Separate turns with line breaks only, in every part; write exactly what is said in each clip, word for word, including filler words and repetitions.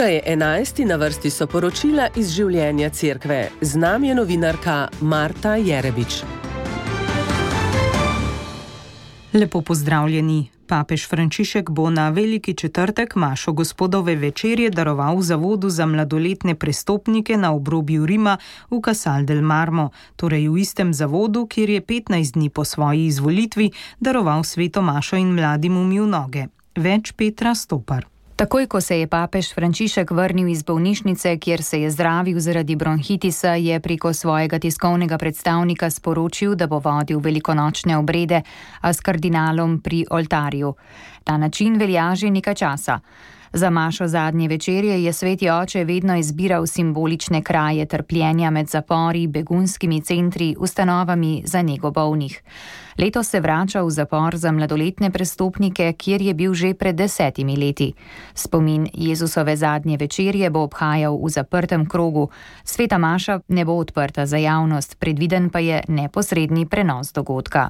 Ura je enajst in na vrsti so poročila iz življenja cerkve. Z nami je novinarka Marta Jerebič.
Lepo pozdravljeni. Papež Frančišek bo na Veliki četrtek mašo gospodove večerje daroval zavodu za mladoletne prestopnike na obrobju Rima v Casal del Marmo, torej v istem zavodu, kjer je petnajst dni po svoji izvolitvi daroval sveto mašo in mladim umil noge. Več Petra Stopar.
Takoj, ko se je papež Frančišek vrnil iz bolnišnice, kjer se je zdravil zaradi bronhitisa, je preko svojega tiskovnega predstavnika sporočil, da bo vodil velikonočne obrede, a s kardinalom pri oltarju. Ta način velja že nekaj časa. Za mašo zadnje večerje je sveti oče vedno izbiral simbolične kraje trpljenja med zapori, begunskimi centri, ustanovami za nego bolnih. Letos se vrača v zapor za mladoletne prestopnike, kjer je bil že pred desetimi leti. Spomin Jezusove zadnje večerje bo obhajal v zaprtem krogu. Sveta maša ne bo odprta za javnost, predviden pa je neposredni prenos dogodka.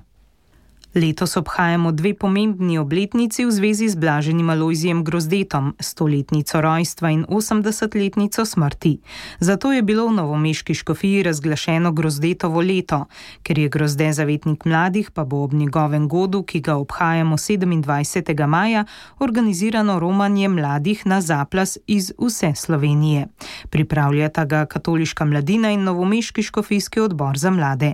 Letos obhajamo dve pomembni obletnici v zvezi z blaženim Alojzijem Grozdetom, stoletnico rojstva in osemdesetletnico smrti. Zato je bilo v novomeški škofiji razglašeno Grozdetovo leto. Ker je Grozde zavetnik mladih, pa bo ob njegovem godu, ki ga obhajamo sedemindvajsetega maja, organizirano romanje mladih na zaplas iz vse Slovenije. Pripravljata ga Katoliška mladina in novomeški škofijski odbor za mlade.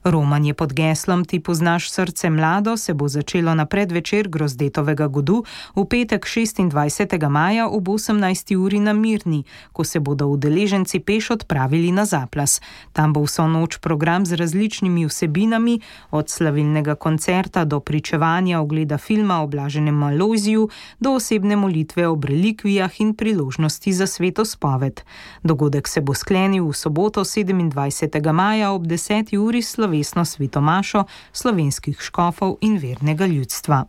Romanje pod geslom Ti poznaš srce mlado se bo začelo na predvečer Grozdetovega godu v petek šestindvajsetega maja ob osemnajsti uri na Mirni, ko se bodo udeleženci peš odpravili na zaplas. Tam bo vso noč program z različnimi vsebinami, od slavilnega koncerta do pričevanja, ogleda filma o blaženem Alojziju do osebne molitve ob relikvijah in priložnosti za sveto spoved. Dogodek se bo sklenil v soboto sedemindvajsetega maja ob deseti uri s slovesno sveto mašo slovenskih škofov in vernega ljudstva.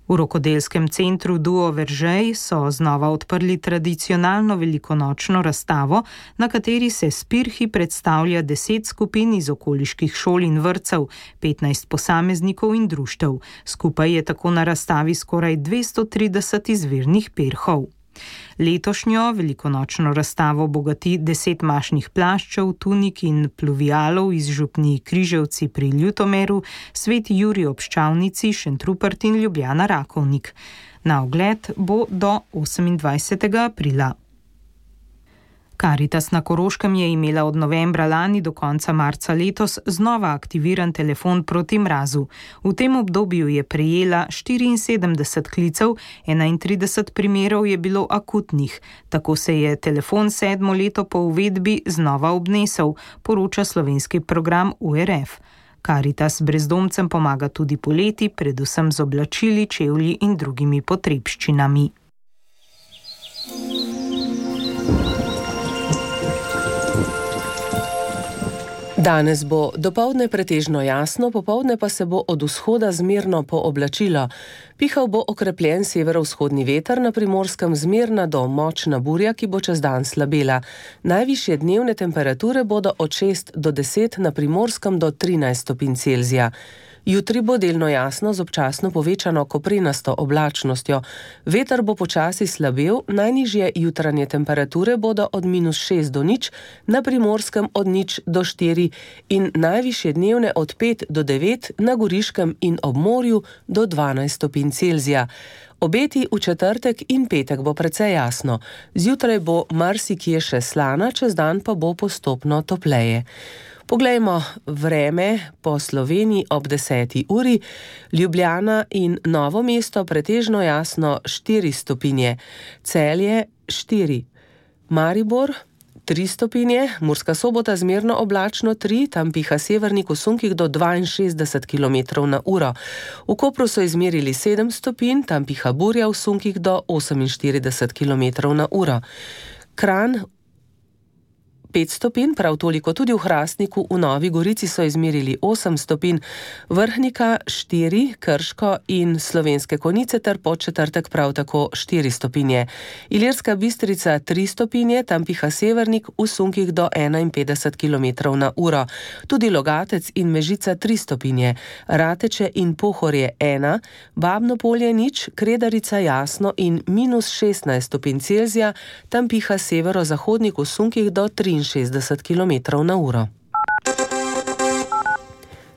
V rokodelskem centru Duo Veržej so znova odprli tradicionalno velikonočno razstavo, na kateri se s pirhi predstavlja deset skupin iz okoliških šol in vrtcev, petnajst posameznikov in društev. Skupaj je tako na razstavi skoraj dvesto trideset izvirnih pirhov. Letošnjo velikonočno razstavo bogati deset mašnih plaščev, tunik in pluvialov iz župnij Križevci pri Ljutomeru, Sveti Jurij ob Ščavnici, Šentrupert in Ljubljana Rakovnik. Na ogled bo do osemindvajsetega aprila. Karitas na Koroškem je imela od novembra lani do konca marca letos znova aktiviran telefon proti mrazu. V tem obdobju je prejela štiriinsedemdeset klicev, enaintrideset primerov je bilo akutnih. Tako se je telefon sedmo leto po uvedbi znova obnesel, poroča slovenski program U R F. Karitas brezdomcem pomaga tudi poleti, predvsem z oblačili, čevlji in drugimi potrebščinami.
Danes bo dopoldne pretežno jasno, popoldne pa se bo od vzhoda zmerno pooblačilo. Pihal bo okrepljen severovzhodni veter, na Primorskem zmerna do močna burja, ki bo čez dan slabela. Najvišje dnevne temperature bodo od šest do deset, na Primorskem do trinajst stopinj Celzija. Jutri bo delno jasno z občasno povečano koprenasto oblačnostjo. Veter bo počasi slabel, najnižje jutranje temperature bodo od minus šest do nič, na Primorskem od nič do štiri in najvišje dnevne od pet do devet, na Goriškem in ob morju do dvanajst stopinj Celzija. Obeti v četrtek in petek bo precej jasno. Zjutraj bo marsikje še slana, čez dan pa bo postopno topleje. Poglejmo vreme po Sloveniji ob deseti uri. Ljubljana in Novo mesto pretežno jasno štiri stopinje, Celje štiri, Maribor tri stopinje, Murska Sobota zmerno oblačno tri, tam piha severnik v sunkih do dvainšestdeset kilometrov na uro. V Kopru so izmerili sedem stopinj, tam piha burja v sunkih do oseminštirideset kilometrov na uro. Kranj pet stopinj, prav toliko tudi v Hrastniku, v Novi Gorici so izmerili osem stopinj, Vrhnika štiri, Krško in Slovenske Konjice ter Podčetrtek prav tako štiri stopinje. Ilirska Bistrica tri stopinje, tam piha severnik, v sunkih do enainpetdeset kilometrov na uro. Tudi Logatec in Mežica tri stopinje, Rateče in Pohorje ena, Babno Polje nič, Kredarica jasno in minus šestnajst stopinj Celzija, tam piha severozahodnik v sunkih do triinšestdeset kilometrov na uro.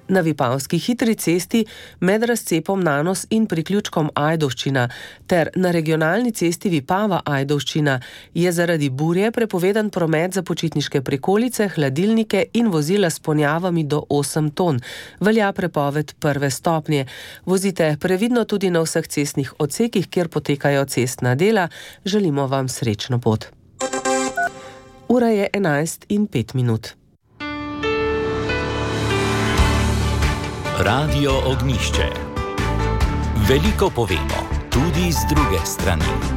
Na Vipavski hitri cesti med razcepom Nanos in priključkom Ajdovščina ter na regionalni cesti Vipava-Ajdovščina je zaradi burje prepovedan promet za počitniške prikolice, hladilnike in vozila s ponjavami do osem ton. Velja prepoved prve stopnje. Vozite previdno tudi na vseh cestnih odsekih, kjer potekajo cestna dela. Želimo vam srečno pot. Ura je enajst in pet minut.
Radio Ognjišče. Veliko povemo, tudi z druge strani.